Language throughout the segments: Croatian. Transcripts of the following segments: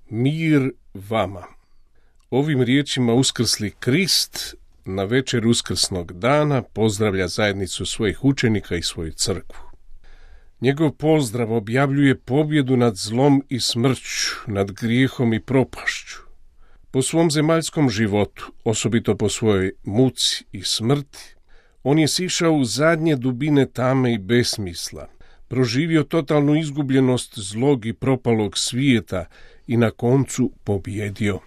Mir vama. Ovim riječima uskrsli Krist na večer uskrsnog dana pozdravlja zajednicu svojih učenika i svoju crkvu. Njegov pozdrav objavljuje pobjedu nad zlom i smrću, nad grijehom i propašću. Po svom zemaljskom životu, osobito po svojoj muci i smrti, on je sišao u zadnje dubine tame i besmisla, proživio totalnu izgubljenost zlog i propalog svijeta i na koncu pobjedio.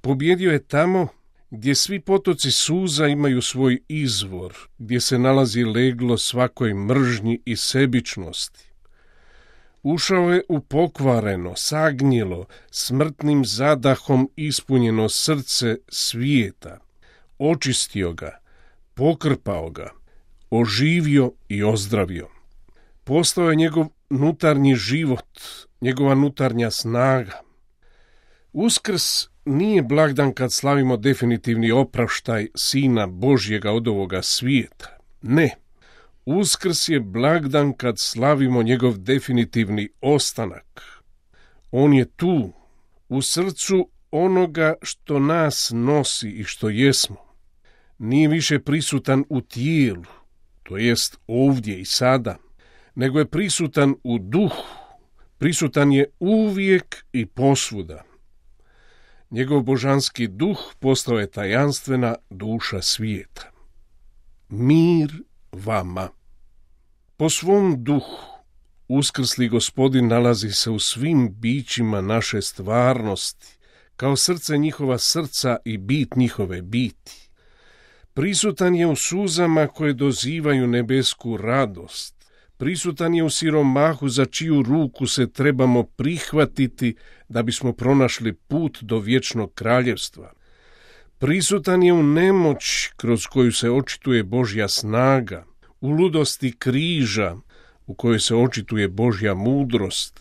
Pobjedio je tamo gdje svi potoci suza imaju svoj izvor, gdje se nalazi leglo svakoj mržnji i sebičnosti. Ušao je u pokvareno, sagnjelo, smrtnim zadahom ispunjeno srce svijeta, očistio ga, pokrpao ga, oživio i ozdravio. Postao je njegov unutarnji život, njegova unutarnja snaga. Uskrs nije blagdan kad slavimo definitivni opraštaj Sina Božjega od ovoga svijeta. Ne, Uskrs je blagdan kad slavimo njegov definitivni ostanak. On je tu, u srcu onoga što nas nosi i što jesmo. Nije više prisutan u tijelu, to jest ovdje i sada, nego je prisutan u duhu, prisutan je uvijek i posvuda. Njegov božanski duh postao je tajanstvena duša svijeta. Mir vama. Po svom duhu uskrsli Gospodin nalazi se u svim bićima naše stvarnosti, kao srce njihova srca i bit njihove biti. Prisutan je u suzama koje dozivaju nebesku radost. Prisutan je u siromahu za čiju ruku se trebamo prihvatiti da bismo pronašli put do vječnog kraljevstva. Prisutan je u nemoći kroz koju se očituje Božja snaga, u ludosti križa u kojoj se očituje Božja mudrost,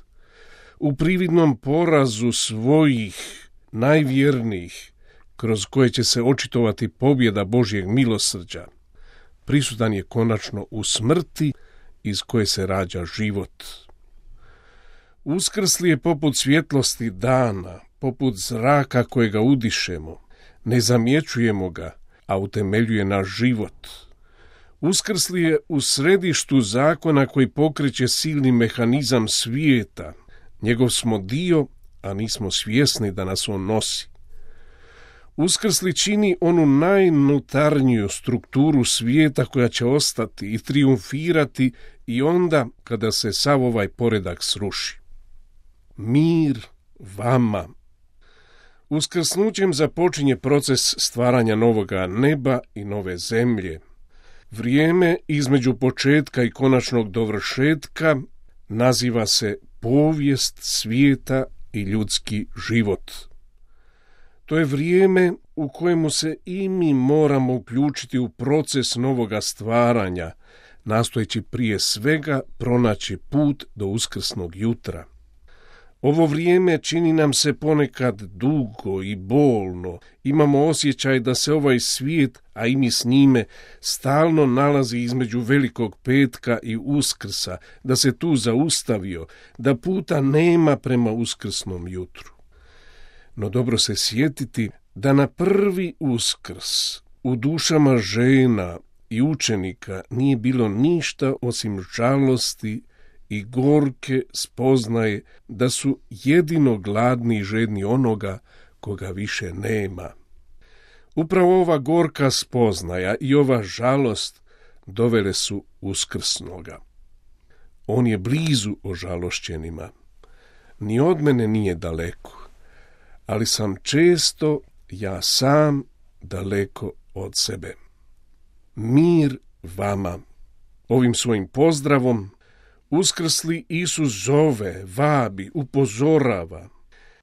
u prividnom porazu svojih najvjernijih kroz koje će se očitovati pobjeda Božjeg milosrđa. Prisutan je konačno u smrti iz koje se rađa život. Uskrsli je poput svjetlosti dana, poput zraka kojega udišemo, ne zamjećujemo ga, a utemeljuje naš život. Uskrsli je u središtu zakona koji pokreće silni mehanizam svijeta. Njegov smo dio, a nismo svjesni da nas on nosi. Uskrsli čini onu najnutarniju strukturu svijeta koja će ostati i triumfirati i onda kada se sav ovaj poredak sruši. Mir vama. Uskrsnućem započinje proces stvaranja novoga neba i nove zemlje. Vrijeme između početka i konačnog dovršetka naziva se povijest svijeta i ljudski život. To je vrijeme u kojemu se i mi moramo uključiti u proces novoga stvaranja, nastojeći prije svega pronaći put do uskrsnog jutra. Ovo vrijeme čini nam se ponekad dugo i bolno. Imamo osjećaj da se ovaj svijet, a i mi s njime, stalno nalazi između Velikog petka i Uskrsa, da se tu zaustavio, da puta nema prema uskrsnom jutru. No dobro se sjetiti da na prvi Uskrs u dušama žena i učenika nije bilo ništa osim žalosti i gorke spoznaje da su jedino gladni i žedni onoga koga više nema. Upravo ova gorka spoznaja i ova žalost dovele su uskrsnoga. On je blizu ožalošćenima. Ni od mene nije daleko, ali sam često ja sam daleko od sebe. Mir vama. Ovim svojim pozdravom uskrsli Isus zove, vabi, upozorava.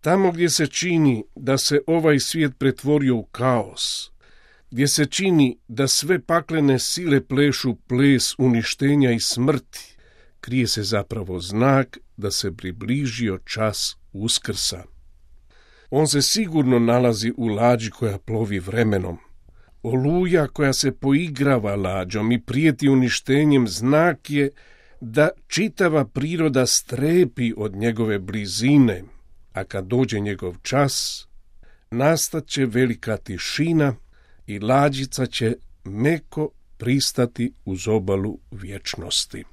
Tamo gdje se čini da se ovaj svijet pretvorio u kaos, gdje se čini da sve paklene sile plešu ples uništenja i smrti, krije se zapravo znak da se približio čas Uskrsa. On se sigurno nalazi u lađi koja plovi vremenom. Oluja koja se poigrava lađom i prijeti uništenjem znak je da čitava priroda strepi od njegove blizine. a kad dođe njegov čas, nastat će velika tišina i lađica će meko pristati uz obalu vječnosti.